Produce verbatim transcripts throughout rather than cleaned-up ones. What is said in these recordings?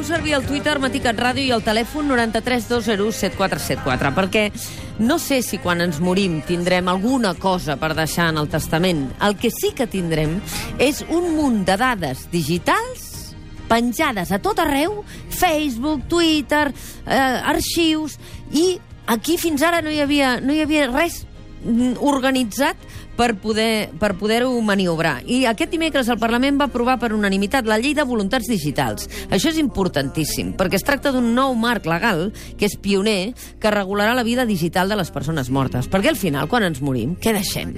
Feu servir el Twitter Matí Cat Ràdio i el telèfon nou tres dos zero set quatre set quatre, perquè no sé si quan ens morim tindrem alguna cosa per deixar en el testament. El que sí que tindrem és un munt de dades digitals penjades a tot arreu, Facebook, Twitter, eh, arxius, i aquí fins ara no hi havia, no hi havia res organitzat per poder per poder-ho maniobrar. I aquest dimecres el Parlament va aprovar per unanimitat la llei de voluntats digitals. Això és importantíssim, perquè es tracta d'un nou marc legal, que és pioner, que regularà la vida digital de les persones mortes. Perquè al final, quan ens morim, què deixem?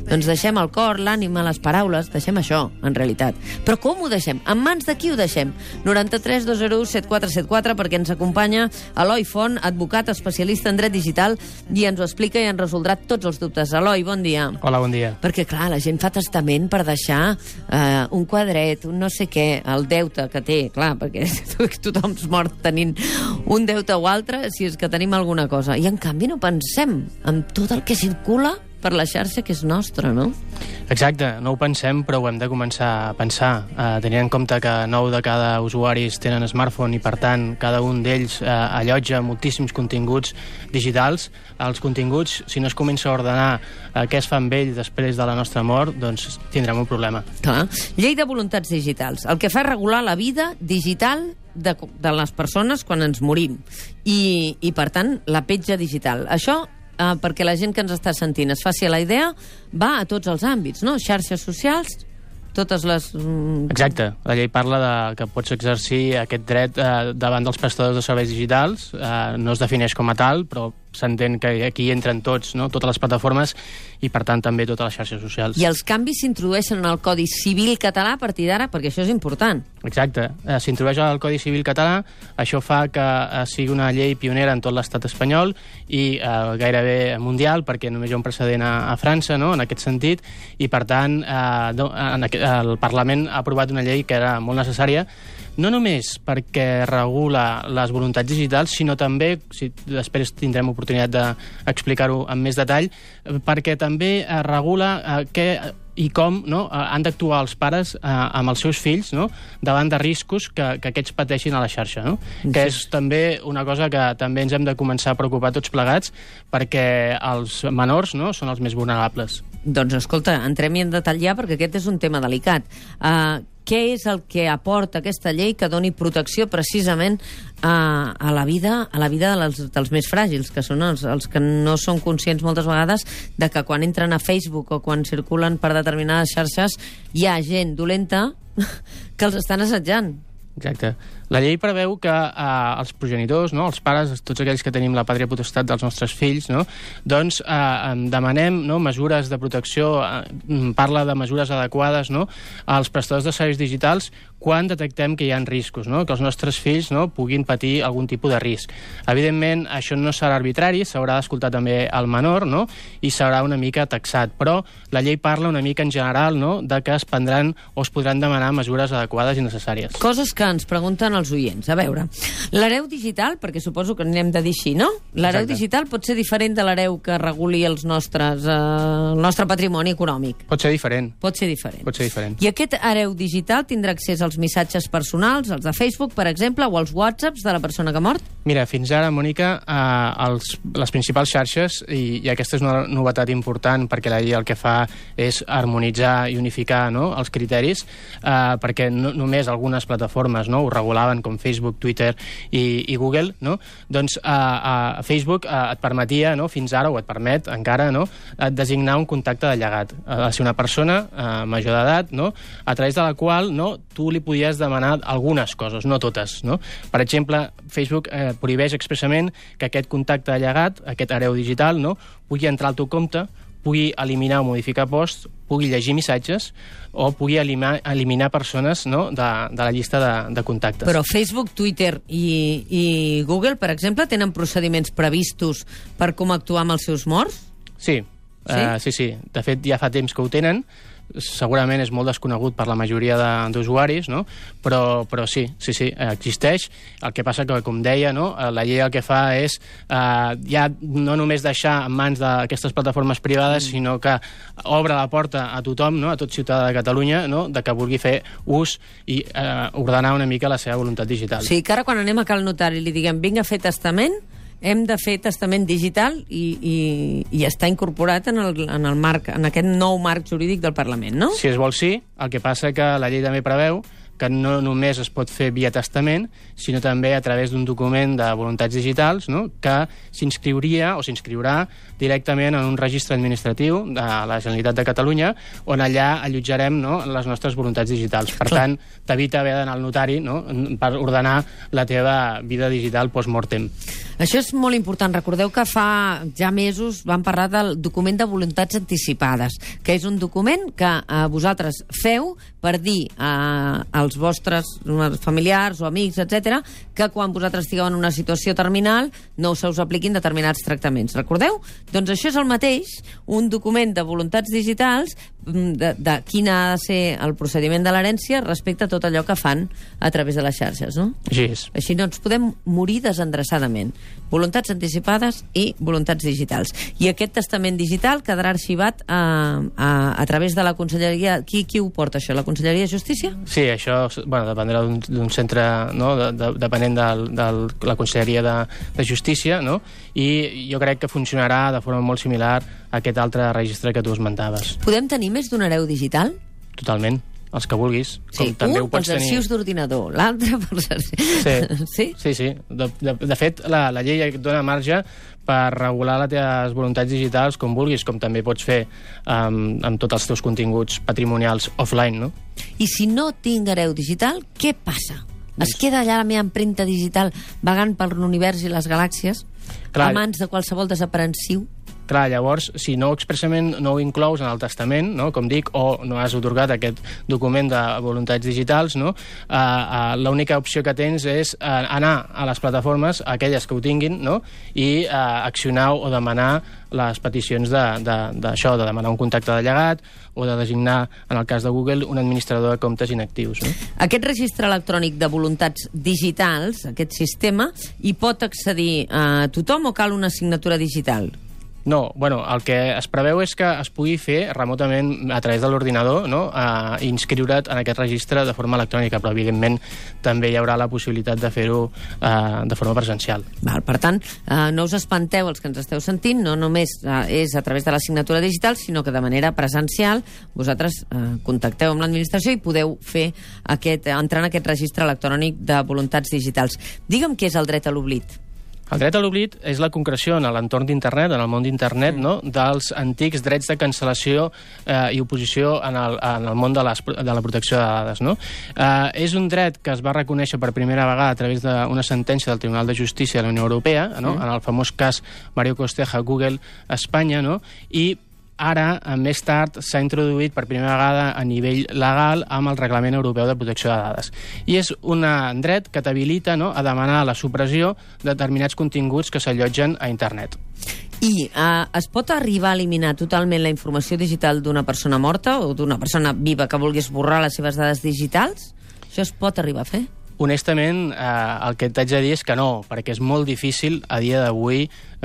Doncs deixem el cor, l'ànima, les paraules, deixem això, en realitat. Però com ho deixem? En mans de qui ho deixem? nou tres dos zero set quatre set quatre, perquè ens acompanya Eloi Font, advocat especialista en dret digital, i ens ho explica i ens resoldrà tots els dubtes. Eloi, bon dia. Hola, bon dia. Perquè, clar, la gent fa testament per deixar eh, un quadret, un no sé què, el deute que té, clar, perquè tothom es mort tenint un deute o altre, si és que tenim alguna cosa. I, en canvi, no pensem en tot el que circula per la xarxa que és nostra, no? Exacte, no ho pensem, però ho hem de començar a pensar, eh, tenint en compte que nou de cada usuaris tenen smartphone i, per tant, cada un d'ells eh, allotja moltíssims continguts digitals. Els continguts, si no es comença a ordenar eh, què es fa amb ell després de la nostra mort, doncs tindrem un problema. Clar. Llei de voluntats digitals. El que fa és regular la vida digital de, de les persones quan ens morim. I, i per tant, la petja digital. Això Uh, perquè la gent que ens està sentint es faci la idea, va a tots els àmbits, no? Xarxes socials, totes les... Mm... Exacte. La llei parla de que pots exercir aquest dret eh, davant dels prestadors de serveis digitals. Eh, no es defineix com a tal, però s'entén que aquí entren tots, no? Totes les plataformes i, per tant, també totes les xarxes socials. I els canvis s'introdueixen en el Codi Civil català a partir d'ara, perquè això és important. Exacte. Eh, S'introdueix al Codi Civil català, això fa que eh, sigui una llei pionera en tot l'estat espanyol i eh, gairebé mundial, perquè només hi ha un precedent a, a França, no?, en aquest sentit, i, per tant, eh, en aquest, el Parlament ha aprovat una llei que era molt necessària, no només perquè regula les voluntats digitals, sinó també, si després tindrem oportunitat d'explicar-ho amb més detall, perquè també eh, regula eh, què i com, no, eh, han d'actuar els pares eh, amb els seus fills, no, davant de riscos que, que aquests pateixin a la xarxa, no? Sí. Que és també una cosa que també ens hem de començar a preocupar tots plegats, perquè els menors, no, són els més vulnerables. Doncs escolta, entrem-hi en detall ja, perquè aquest és un tema delicat. Uh, què és el que aporta aquesta llei que doni protecció precisament a, a la vida, a la vida dels, dels més fràgils, que són els, els que no són conscients moltes vegades de que quan entren a Facebook o quan circulen per determinades xarxes hi ha gent dolenta que els estan assetjant. Exacte. La llei preveu que eh, els progenitors, no, els pares, tots aquells que tenim la pàtria potestat dels nostres fills, no, doncs eh, demanem, no, mesures de protecció, eh, parla de mesures adequades, no, als prestadors de serveis digitals quan detectem que hi ha riscos, no, que els nostres fills, no, puguin patir algun tipus de risc. Evidentment, això no serà arbitrari, s'haurà d'escoltar també el menor, no, i serà una mica taxat, però la llei parla una mica en general, no, de que es prendran o es podran demanar mesures adequades i necessàries. Coses que ens pregunten els oients. A veure, l'hereu digital, perquè suposo que n'hem de dir així, no? L'hereu digital pot ser diferent de l'hereu que reguli els nostres, eh, el nostre patrimoni econòmic. Pot ser diferent. Pot ser diferent. Pot ser diferent. I aquest hereu digital tindrà accés als missatges personals, els de Facebook, per exemple, o als whatsapps de la persona que ha mort? Mira, fins ara, Mònica, eh, els, les principals xarxes, i, i aquesta és una novetat important perquè la llei el que fa és harmonitzar i unificar, no, els criteris, eh, perquè no, només algunes plataformes, no, ho regulaven, com Facebook, Twitter i, i Google, no? Doncs a, a Facebook a, et permetia, no, fins ara, o et permet encara, no, designar un contacte de llegat. Ha de ser una persona a, major d'edat, no, a través de la qual, no, tu li podies demanar algunes coses, no totes, no? Per exemple, Facebook eh, prohibeix expressament que aquest contacte de llegat, aquest hereu digital, no, pugui entrar al teu compte, pugui eliminar o modificar posts, pugui llegir missatges o pugui eliminar, eliminar persones, no, de, de la llista de, de contactes. Però Facebook, Twitter i, i Google, per exemple, tenen procediments previstos per com actuar amb els seus morts? Sí. Sí? Uh, sí, sí. De fet, ja fa temps que ho tenen. segurament és molt desconegut per la majoria d'usuaris, no? però, però sí, sí, sí, existeix. El que passa que, com deia, no? la llei el que fa és eh, ja no només deixar en mans d'aquestes plataformes privades, mm. sinó que obre la porta a tothom, no? a tot ciutadà de Catalunya, no? de que vulgui fer ús i eh, ordenar una mica la seva voluntat digital. Sí, que ara quan anem a cal notari li diguem vinga a fer testament, hem de fer testament digital i, i, i està incorporat en el, en el marc, en aquest nou marc jurídic del Parlament, no? Si es vol, sí. El que passa que la llei també preveu que no només es pot fer via testament, sinó també a través d'un document de voluntats digitals, no? que s'inscriuria o s'inscriurà directament en un registre administratiu de la Generalitat de Catalunya, on allà allotjarem, no? les nostres voluntats digitals. Per Clar. tant, t'evita haver d'anar al notari, no? per ordenar la teva vida digital post-mortem. Això és molt important. Recordeu que fa ja mesos vam parlar del document de voluntats anticipades, que és un document que eh, vosaltres feu per dir eh, als vostres familiars o amics, etcètera, que quan vosaltres estigueu en una situació terminal no se us apliquin determinats tractaments. Recordeu? Doncs això és el mateix, un document de voluntats digitals de, de quin ha de ser el procediment de l'herència respecte a tot allò que fan a través de les xarxes, no? Així és. Així no ens podem morir desendreçadament. Voluntats anticipades i voluntats digitals. I aquest testament digital quedarà arxivat a, a, a través de la Conselleria. Qui, qui ho porta, això? La Conselleria de Justícia? Sí, això bueno, dependrà d'un centre, no? de, de, depenent de, de la Conselleria de, de Justícia, no? I jo crec que funcionarà de forma molt similar a aquest altre registre que tu esmentaves. Podem tenir més d'un hereu digital? Totalment. Els que vulguis. Sí, com també un pels arxius d'ordinador, l'altre pels arxius... Sí, sí? sí. sí. De, de, de fet, la, la llei et dona marge per regular les teves voluntats digitals com vulguis, com també pots fer um, amb tots els teus continguts patrimonials offline, no? I si no tinc hereu digital, què passa? Es queda allà la meva empremta digital vagant per l'univers i les galàxies Clar, a mans de qualsevol desaprensiu? Clar, llavors, si no expressament no ho inclous en el testament, no? com dic, o no has otorgat aquest document de voluntats digitals, no? uh, uh, l'única opció que tens és uh, anar a les plataformes, aquelles que ho tinguin, no? i uh, accionar o demanar les peticions d'això, de, de, de demanar un contacte de llegat o de designar, en el cas de Google, un administrador de comptes inactius. No? Aquest registre electrònic de voluntats digitals, aquest sistema, hi pot accedir a tothom o cal una signatura digital? No, bueno, el que es preveu és que es pugui fer remotament a través de l'ordinador, no? uh, inscriure't en aquest registre de forma electrònica, però evidentment també hi haurà la possibilitat de fer-ho uh, de forma presencial. Val, per tant, uh, no us espanteu els que ens esteu sentint, no només uh, és a través de la signatura digital, sinó que de manera presencial vosaltres uh, contacteu amb l'administració i podeu fer aquest, entrar en aquest registre electrònic de voluntats digitals. Digue'm què és el dret a l'oblit. El dret a l'oblit és la concreció en l'entorn d'internet, en el món d'internet, mm. no? dels antics drets de cancel·lació eh, i oposició en el, en el món de, les, de la protecció de dades. No? Eh, és un dret que es va reconèixer per primera vegada a través d'una sentència del Tribunal de Justícia de la Unió Europea, no? mm. en el famós cas Mario Costeja, Google, Espanya, no? i ara, més tard, s'ha introduït per primera vegada a nivell legal amb el Reglament Europeu de Protecció de Dades. I és un dret que t'habilita, no?, a demanar la supressió de determinats continguts que s'allotgen a internet. I uh, es pot arribar a eliminar totalment la informació digital d'una persona morta o d'una persona viva que vulgui esborrar les seves dades digitals? Això es pot arribar a fer? Honestament, eh, el que t'haig de dir és que no, perquè és molt difícil a dia d'avui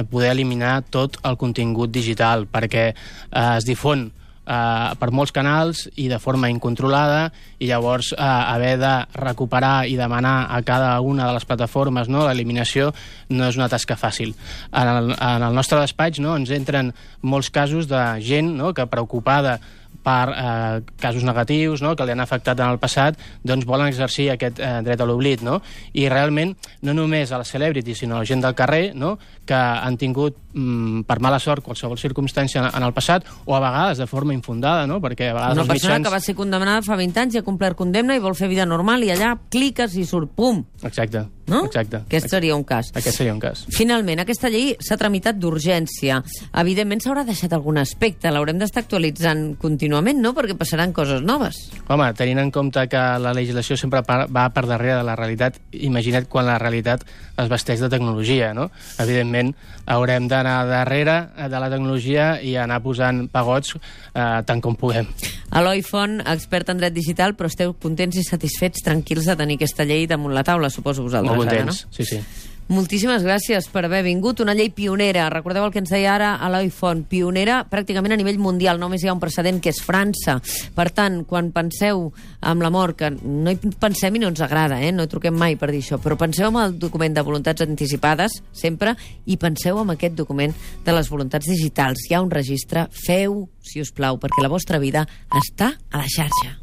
poder eliminar tot el contingut digital, perquè eh, es difon eh, per molts canals i de forma incontrolada, i llavors eh, haver de recuperar i demanar a cada una de les plataformes, no, l'eliminació no és una tasca fàcil. En el, en el nostre despatx, no, ens entren molts casos de gent, no, que preocupada per eh, casos negatius, no?, que li han afectat en el passat, doncs volen exercir aquest eh, dret a l'oblit, no? I realment, no només a les celebrities, sinó a la gent del carrer, no?, que han tingut, mm, per mala sort, qualsevol circumstància en, en el passat, o a vegades de forma infundada, no?, perquè a vegades una els persona mitjans... que va ser condemnada fa vint anys i ha complert condemna i vol fer vida normal i allà cliques i surt, pum! Exacte. no? Exacte. Aquest seria un cas. Aquest seria un cas. Finalment, aquesta llei s'ha tramitat d'urgència. Evidentment s'haurà deixat algun aspecte, l'haurem d'estar actualitzant contínuament, no? Perquè passaran coses noves. Home, tenint en compte que la legislació sempre va per darrere de la realitat, imagina't quan la realitat es vesteix de tecnologia, no? Evidentment, haurem d'anar darrere de la tecnologia i anar posant pagots eh, tant com puguem. Eloi Font, expert en dret digital, però esteu contents i satisfets, tranquils de tenir aquesta llei damunt la taula, suposo vosaltres. Molt contents, ara, no? sí, sí. Moltíssimes gràcies per haver vingut. Una llei pionera. Recordeu el que ens deia ara Eloi Font. Pionera pràcticament a nivell mundial. Només hi ha un precedent, que és França. Per tant, quan penseu amb la mort, que no hi pensem i no ens agrada, eh? No hi truquem mai per dir això, però penseu en el document de voluntats anticipades, sempre, i penseu en aquest document de les voluntats digitals. Hi ha un registre. Feu, si us plau, perquè la vostra vida està a la xarxa.